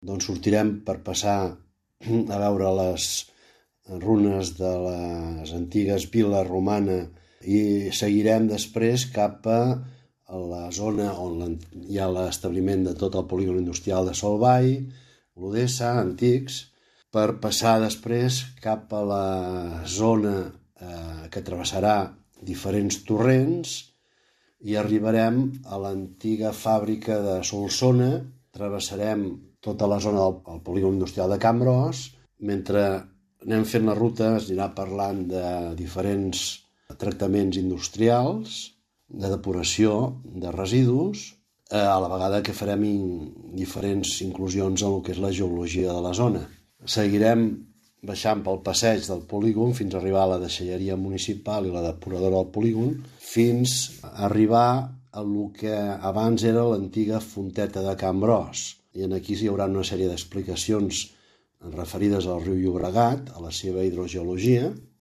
Doncs sortirem per passar a veure les runes de les antigues viles romanes i seguirem després cap a la zona on hi ha l'establiment de tot el polígon industrial de Solvay, l'Odessa, antics, per passar després cap a la zona que travessarà diferents torrents i arribarem a l'antiga fàbrica de Solsona, travessarem tota la zona del polígon industrial de Can Bros. Mentre anem fent la ruta es anirà parlant de diferents tractaments industrials, de depuració de residus, a la vegada que farem diferents inclusions en el que és la geologia de la zona. Seguirem baixant pel passeig del polígon fins a arribar a la deixalleria municipal i la depuradora del polígon, fins a arribar a el que abans era l'antiga fonteta de Can Bros. I aquí hi haurà una sèrie d'explicacions referides al riu Llobregat, a la seva hidrogeologia,